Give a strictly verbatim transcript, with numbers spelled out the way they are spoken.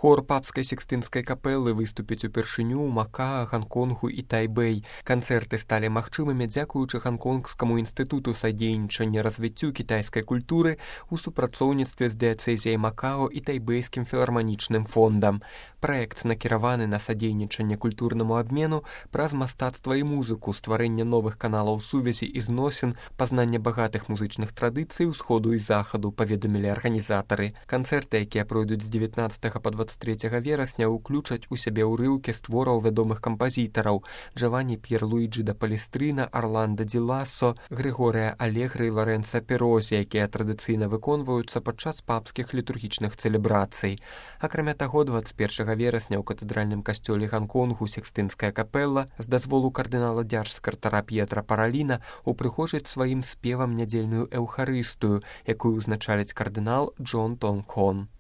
Хор папскай секстынскай капэлы выступіць упершыню ў Макаа, Ганконгу і Тайбэй. Канцэрты сталі магчымымі дзякуючы Ганконгскаму інстытуту садзейнічання развіццю кітайскай культуры ў супрацоўніцтве з дыяцэзіяй Макао і тайбэйскім філарманічным фондам. Праект накіраваны на садзейнічанне культурнаму абмену праз мастацтва і музыку, стварэнне новых каналаў сувязі і зносін, пазнанне багатых музычных традыцый усходу і захаду, паведамілі арганізатары. Канцэрты, якія пройдуць з дзевятнаццатага па дваццаць трэцяга верасня, уключаць у сябе ўрыўкі з твораў вядомых кампазітараў Джаванні П'ерлуіджі да Палестрына, Арландо Ді Лассо, Григорія Алегры і Лоренцо Перозі, якія традыцыйна выконваюцца падчас папскіх літургічных цэлебрацый. Акрамя таго, дваццаць першага верасня ў катэдральным касцёле Ганконгу секстынская капэла з дазволу кардынала дзяржсакратара П'етра Параліна упрыгожыць сваім спевам нядзельную эўхарыстыю, якую ўзначаліць кардынал Джон Тонг Хон.